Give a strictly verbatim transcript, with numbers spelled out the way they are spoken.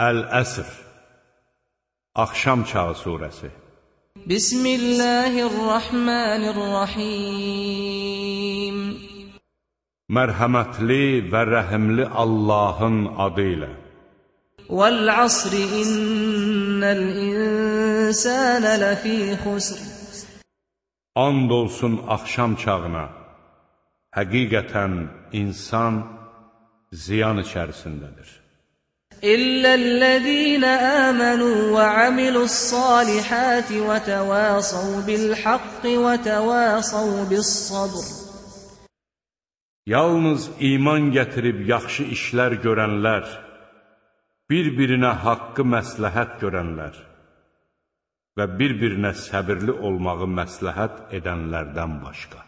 Əl-Əsr Axşam çağı surəsi. Bismillahirrahmanirrahim. Mərhəmətli və rəhimli Allahın adı ilə. Vəl-əsri innəl-insənə ləfī xusr. And olsun axşam çağına. Həqiqətən insan ziyan içərisindədir. İlləl-ləzīnə əmənu və amilu's-salihati və təvəsav bil-haqqi və təvəsav bis-sabr. Yalnız iman gətirib yaxşı işlər görənlər, bir-birinə haqqı məsləhət görənlər və bir-birinə səbirli olmağı məsləhət edənlərdən başqa.